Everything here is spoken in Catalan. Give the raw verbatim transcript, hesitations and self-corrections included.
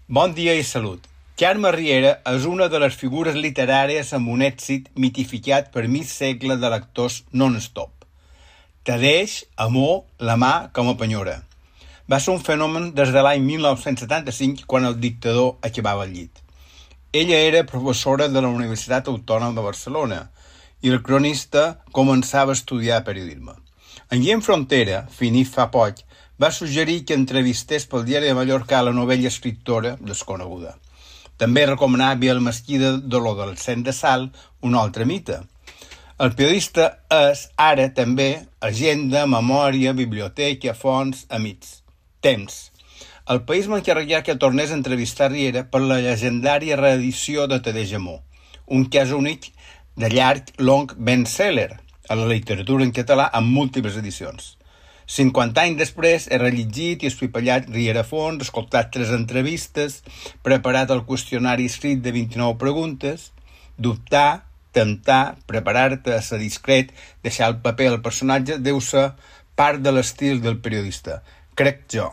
Bon dia i salut. Carme Riera és una de les figures literàries amb un èxit mitificat per mig segle de lectors non-stop. T'adeix, amor, la mà com a penyora. Va ser un fenomen des de l'any mil nou-cents setanta-cinc, quan el dictador acabava el llit. Ella era professora de la Universitat Autònoma de Barcelona i el cronista començava a estudiar periodisme. En Guillem Frontera, finit fa poc, va suggerir que entrevistés pel Diari de Mallorca la novella escriptora desconeguda. També recomanava el mesquí de dolor del cent de sal, un altre mite. El periodista és, ara també, agenda, memòria, biblioteca, fonts, amics. Temps. El País m'encarregué que tornés a entrevistar Riera per la llegendària reedició de T'adeix amor, un cas únic de llarg, long best-seller a la literatura en català amb múltiples edicions. cinquanta anys després he rellegit i espipallat Riera a fons, escoltat tres entrevistes, preparat el qüestionari escrit de vint-i-nou preguntes, dubtar, temptar, preparar-te, ser discret, deixar el paper al personatge deu ser part de l'estil del periodista. Crec jo.